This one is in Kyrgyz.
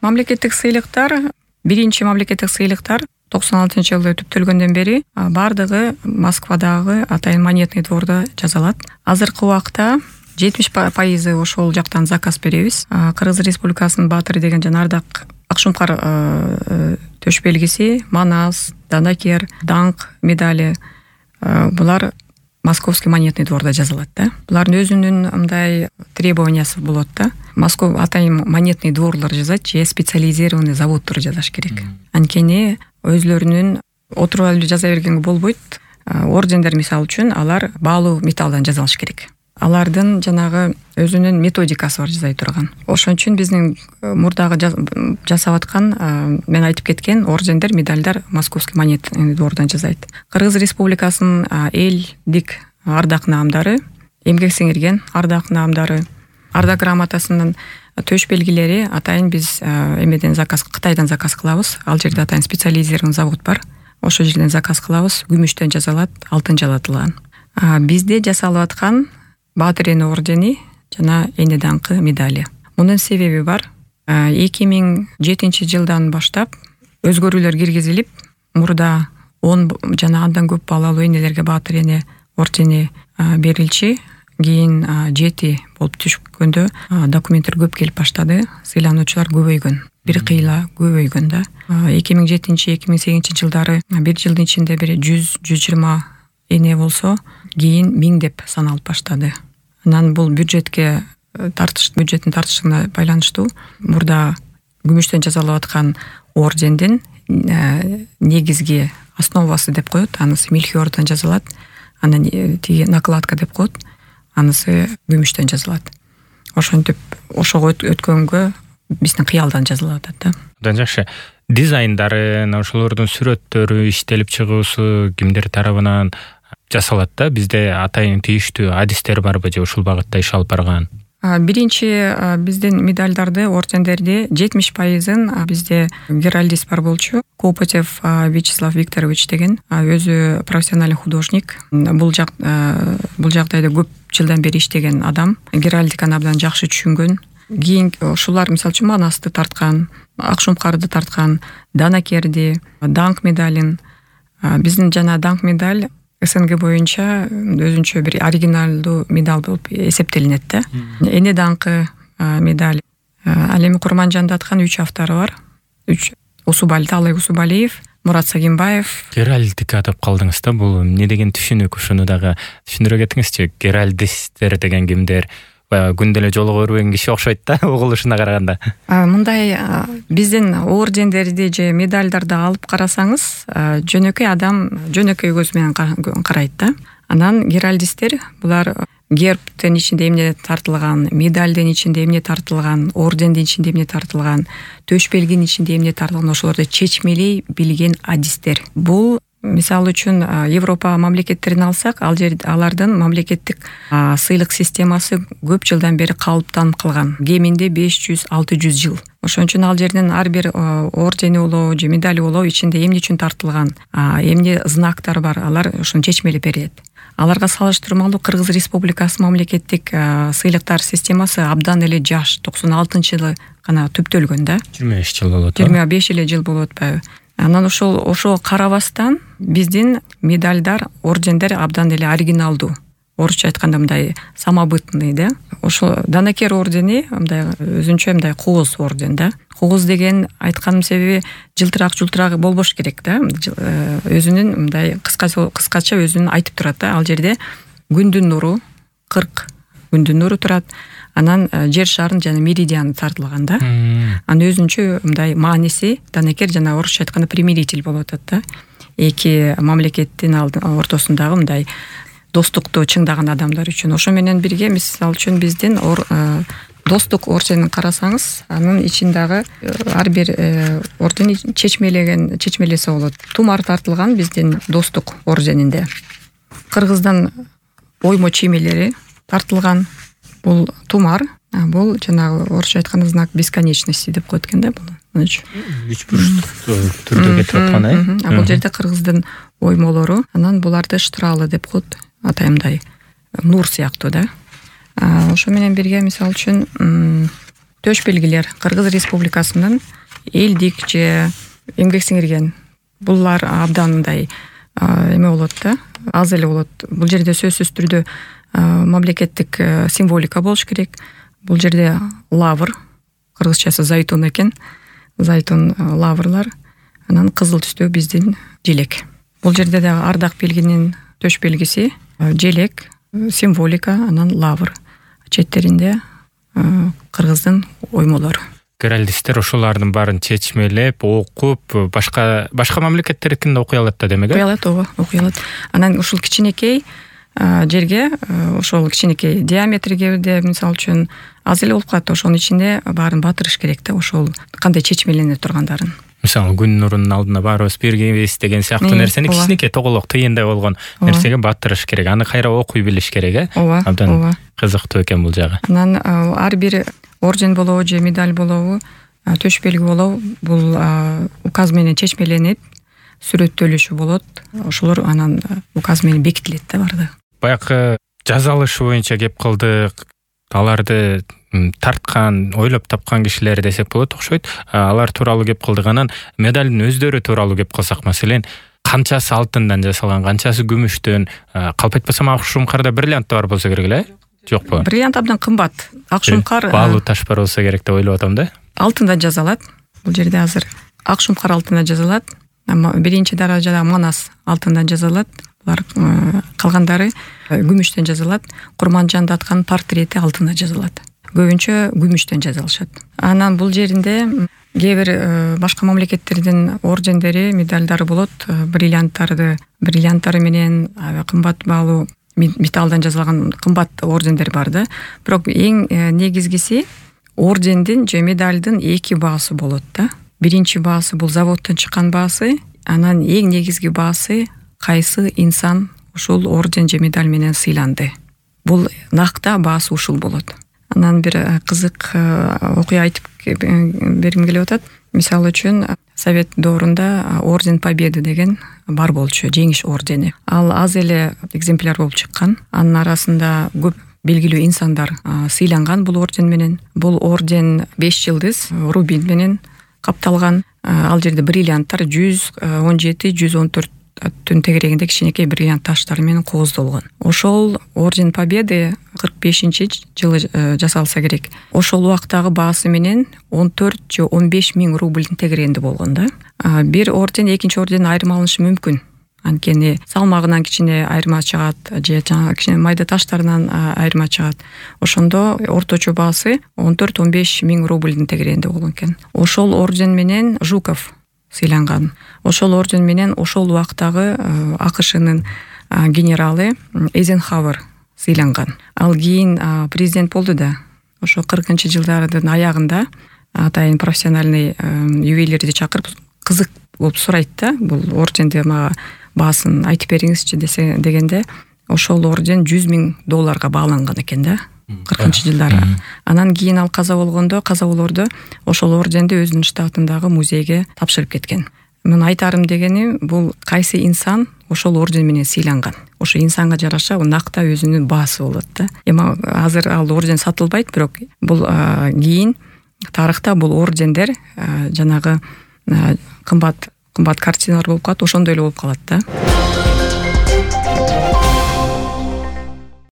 Мамлекеттик сыйлыктар, биринчи мамлекеттик сыйлыктар 96-жылы түптөлгөндөн бери бардыгы Москвадагы Атайын монетный двордо жасалат. Азыркы убакта 70% ошол жактан заказ беребиз. Кыргыз Республикасынын баатыры деген жана Ардак Акшумкар төш белгиси, Манас, Данакер, Даңк медали булар Московский монетный двордо жасалат да. Булардын өзүнүн мындай требованиясы болот да. Москва Атайын монетный дворлор жасайт же специализированный заводдор жасаш керек. Анткени өзлөрүнүн отуруп алып жаза бергенге болбойт. Ордендер мисалы үчүн алар баалуу металлдан жасалыш керек. Алардын жанагы өзүнүн методикасы бар жасай турган. Ошон үчүн биздин мурдагы жасап аткан мен айтып кеткен ордендер, медальдар Московский монетный двордон жасайт. Кыргыз Республикасынын элдик ардак наамдары, эмгек сиңирген ардак наамдары, ардак грамотасынын төш белгилери атайын биз эмеден заказ, Кытайдан заказ кылабыз. Ал жерде атайын специализированный завод бар. Ошол жерден заказ кылабыз. Күмүштөн жасалат, алтын жалатылган. Бизде жасалып аткан Баатыр эне ордени жана эне даңкы медали. Мунун себеби бар. 2007-жылдан баштап өзгөрүүлөр киргизилип, мурда 10 жана андан көп балалуу энелерге Баатыр эне ордени берилчи. Кийин 7 болуп түшкөндө документтер көп келип баштады. Сыйлануучулар көбөйгөн. Бир кыйла көбөйгөн да. 2007-2008 жылдары бир жылдын ичинде бир 100-120 эне болсо, кийин 1000 деп саналып баштады. Анан бул бюджеттин тартыштыгына байланыштуу. Мурда күмүштөн жасалып аткан ордендин негизги основасы деп коет. Анысы мельхиордон жасалат. Анан тиги накладка деп коет. Анысы күмүштөн жасалат. Ошентип ошого өткөнгө биздин кыялдан жасалып атат да. Абдан жакшы. Дизайндары, ошолордун сүрөттөрү иштелип чыгуусу кимдер тарабынан жасалат да? Бизде атайын тийиштүү адистер барбы же ушул багытта иш алып барган? Биринчи биздин медальдарды, ордендерди 70%-ын бизде геральдист бар болчу. Копотев Вячеслав Викторович деген өзү профессиональный художник. Бул жагдайда көп жылдан бери иштеген адам. Геральдиканы абдан жакшы түшүнгөн. Кийин ушулар мисалы үчүн Манасты тарткан, Акшумкарды тарткан, Данакерди, Даңк медалин. Биздин жана Даңк медаль СНГ боюнча өзүнчө бир оригиналдуу медаль болуп эсептелинет да. Эне даңкы медаль. Ал эми Курманжанда аткан 3 автору бар. 3 Таалай Усубалиев, Мурат Сагимбаев. Геральдика деп калдыңыз да, бул эмне деген түшүнүк? Ушуну дагы түшүндүрө кетиңизчи. Геральдисттер деген кимдер? Күндө эле жолугуп өрбөгөн киши окшойт да, угулушуна караганда. Мындай биздин ордендерди же медальдарды алып карасаңыз, жөнөкөй адам жөнөкөй көз менен карайт да. Анан геральдисттер булар гербтин ичинде эмне тартылган, медальдин ичинде эмне тартылган, ордендин ичинде эмне тартылган, төш белгинин ичинде эмне тартылган, ошолорду чечмелей билген адистер. Бул мисалы үчүн Европа мамлекеттерин алсак, алардын мамлекеттик сыйлык системасы көп жылдан бери калыптанып калган. Кеминде 500-600 жыл. Ошон үчүн ал жерден ар бир ордени болобу же медали болобу ичинде эмне үчүн тартылган, эмне знактар бар, алар ошону чечмелеп берет. Аларга салыштырмалуу Кыргыз Республикасы мамлекеттик сыйлыктар системасы абдан эле жаш, 96-жылы гана түптөлгөн да. 25 жыл болот. 25 эле жыл болуп атпайбы? Анан ошо карабастан биздин медальдар, ордендер абдан эле оригиналдуу. Орусча айтканда мындай самобытный да. Ошо Данакер ордени мындай өзүнчө мындай кооз орден да. Кооз деген айтканым себеби жылтырак болбош керек да. Өзүнүн мындай кыскача өзүнүн айтып турат да. Ал жерде күндүн нуру 40 күндүн нуру турат. Анан жер шарын жана меридианы тартылган да. Анын өзүнчө мындай мааниси Данакер жана орусча айтканда примиритель болуп атат да. Эки мамлекеттин ортосундагы мындай достукту чыңдаган адамдар үчүн. Ошо менен бирге мисалы үчүн биздин достук орденин карасаңыз, анын ичиндагы ар бир орден чечмелесе болот. Тумар тартылган биздин достук орденинде. Кыргыздан оймо чиймелери тартылган. Бул тумар, бул жанагы орусча айтканда знак бесконечности деп коет экен да бул. Үч бурчтук түрдө кетип аткан, бул жерде кыргыздын оймолору, анан буларды штралы деп коет, атайымдай нур сыяктуу да. Ошо менен бирге мисалы үчүн төш белгилер Кыргыз Республикасынын элдик же эмгек сиңирген булар абдан мындай эме болот да, аз эле болот. Бул жерде сөзсүз түрдө мамлекеттик символика болуш керек. Бул жерде лавр, кыргызчасы зайтун экен, зайтун лаврлар, анан кызыл түстө биздин желек. Бул жерде дагы ардак белгинин төш белгиси желек, символика, анан лавр. Четтеринде кыргыздын оймолору. Геральдисттер ошолардын баарын чечмелеп, окуп, башка мамлекеттердикин да окуй алат да демек. Окуй алат. Анан ушул кичинекей жерге, ошол кичинекей диаметрге де мисалы үчүн аз эле болуп калат. Ошонун ичинде баарын батырыш керек да, ошол кандай чечмелене тургандарын. Мисалы күн нурунун алдына барыбыз биргебиз деген сыяктуу нерсени кичинекей тоголок тыйындай болгон нерсеге батырыш керек. Аны кайра окуй билиш керек, Абдан кызыктуу экен бул жагы. Анан ар бир орден болобу же медаль болобу, төш белги болобу, бул указ менен чечмеленет, сүрөттөлүшү болот. Ошолор анан указ менен бекитилет да барды. Баягы жазалышы боюнча кеп кылдык. Аларды тарткан, ойлоп тапкан кишилер десек болот окшойт. Алар тууралуу кеп кылдык. Анан медалдын өздөрү тууралуу кеп кылсак, маселен, канчасы алтындан жасалган, канчасы күмүштөн, калп айтпасам ак шумкарда бриллиант бар болсо керек эле? Жокпу? Бриллиант абдан кымбат. Ак шумкар баалуу таш бар болсо керек деп ойлоп атам да. Алтындан жазалат. Бул жерде азыр ак шумкар алтындан жазалат. Биринчи даражада манас алтындан жазалат. Булар калгандары күмүштөн жазалат. Курманжанды аткан портрети алтындан жазалат. Көбүнчө күмүштөн жазалышат. Анан бул жеринде кээ бир башка мамлекеттердин ордендери, медалдары болот. Бриллианттары менен кымбат баалуу металлдан жазылган кымбат ордендер бар да. Бирок эң негизгиси ордендин же медалдын эки баасы болот да. Биринчи баасы бул заводдон чыккан баасы, анан эң негизги баасы кайсы инсан ушул орден же медаль менен сыйланды. Бул накта баасы ушул болот. Анан бир кызык окуя айтып бергим келип атат. Мисалы үчүн Совет доорунда орден Победы деген бар болчу, жеңиш ордени. Ал аз эле экземпляр болуп чыккан. Анын арасында көп белгилүү инсандар сыйланган бул орден менен. Бул орден 5 жылдыз рубин менен капталган. Ал жерде бриллианттар 117-114 түн тегерегинде кичинекей бриллиант таштары менен кооздолгон. Ошол орден Победы 45-жылы жасалса керек. Ошол убактагы баасы менен 14 же 15 миң рублдун тегерегинде болгон да. Бир орден экинчи орденден айырмаланышы мүмкүн. Анткени салмагынан кичине айырма чыгат, же кичине майда таштарынан айырма чыгат. Ошондо орточо баасы 14-15 миң рублдун тегерегинде болгон экен. Ошол орден менен Жуков сыйланган. Ошол орден менен ошол убактагы АКШнын генералы Эйзенхауэр сыйланган. Ал кийин президент болду да. Ошо 40-жылдардын аягында атайын профессиональный ювелирди чакырып кызык болуп сурайт да. Бул орденди мага баасын айтып бериңизчи дегенде, ошол орден $100 миң бааланган экен да. 40-жылдары. Анан кийин ал каза болордо ошол орденди өзүнүн штатындагы музейге тапшырып кеткен. Мен айтарым дегеним, бул кайсы инсан ошол орден менен сыйланган. Ошо инсанга жараша накта өзүнүн баасы болот да. Эми азыр ал орден сатылбайт, бирок бул кийин тарыхта бул ордендер жанагы кымбат картиналар болуп калат, ошондой эле болуп калат да.